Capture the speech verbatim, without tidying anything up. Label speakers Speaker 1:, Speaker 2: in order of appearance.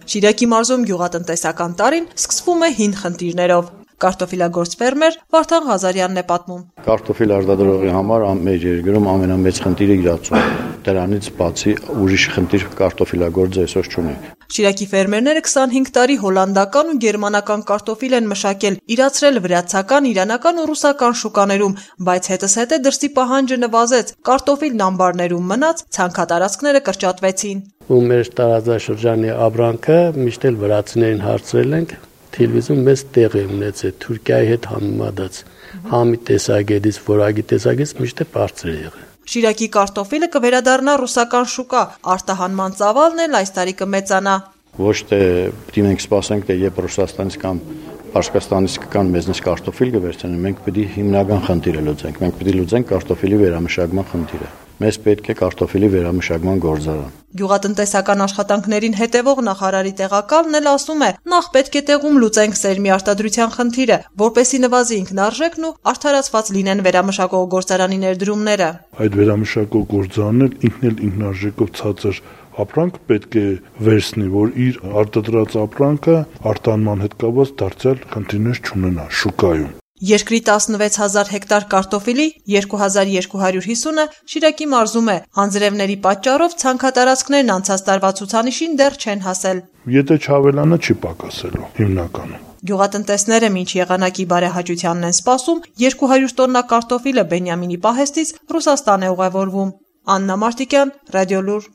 Speaker 1: Շիրակի մարզում գյուղատնտեսական տարին սկսվում է հին խնդիրներով։ Կարտոֆիլագործ ֆերմեր Վարդան Ղազարյանն է պատմում.
Speaker 2: Կարտոֆիլ արտադրողի համար մեր երկրում ամենամեծ խնդիրը իրացումն է։ Դրանից բացի ուրիշ խնդիր կարտոֆիլագործը այսօր չունի։
Speaker 1: Շիրակի ֆերմերները քսանհինգ տարի հոլանդական ու գերմանական կարտոֆիլ են մշակել, իրացրել վրացական, իրանական ու ռուսական շուկաներում, բայց հետզհետե դրսի պահանջը նվազեց, կարտոֆիլն ամբարներում մնաց, ցանքատարածքները կրճատվեցին։
Speaker 3: Ու մեր տարածաշրջանի ապրանքը միշտ էլ վրացիներին հարցրել ենք, Թիլվիզում մեծ տեղ է ունեցել Թուրքիայի հետ համեմատած, համի տեսակետից, որակի տեսակետից միշտ է բարձր է եղել։
Speaker 1: Շիրակի կարտոֆիլը կվերադառնա ռուսական շուկա, արտահանման ծավալն էլ այս տարի կմեծանա։
Speaker 2: Ոչ թե պիտի մենք սպասենք, թե երբ Ռուսաստանից կամ Պարսկաստանից կգան մեզնից կարտոֆիլ կվերցնեն, մենք պիտի հիմնական խնդիրը լուծենք, մենք պիտի լուծենք կարտոֆիլի վերամշակման խնդիրը։ Մեզ պետք է կարտոֆիլի վերամշակման գործարան։
Speaker 1: Գյուղատնտեսական աշխատանքներին հետևող նախարարի տեղակալն էլ ասում է, նախ պետք է տեղում լուծենք սերմի արտադրության խնդիրը, որպեսզի նվազի ինքնարժեքն ու արդարացված լինեն վերամշակող գործարանի ներդրումները։
Speaker 4: Այդ վերամշակող գործարանն ինքն էլ ինքնարժեքով ցածր ապրանք պետք է վերցնի, որ իր արտադրած ապրանքը արտահանման հետ կապված դարձյալ խնդիրներ չունենա շուկայում։
Speaker 1: Երկրի տասնվեց հազար հեկտար կարտոֆիլի երկու հազար երկու հարյուր հիսունը Շիրակի մարզում է, անձրևների պատճառով ցանքատարածքներն անցած տարվա ցուցանիշին դեռ չեն հասել։
Speaker 4: Եթե չավելանա, չի պակասելու հիմնականում։
Speaker 1: Գյուղատնտեսները մինչ եղանակի բարեհաճությանն են սպասում, երկու հարյուր տոննա կարտոֆիլը Բենյամինի պահեստից Ռուսաստան է ուղևորվում։ Աննա Մարտիկյան, Ռադիոլուր։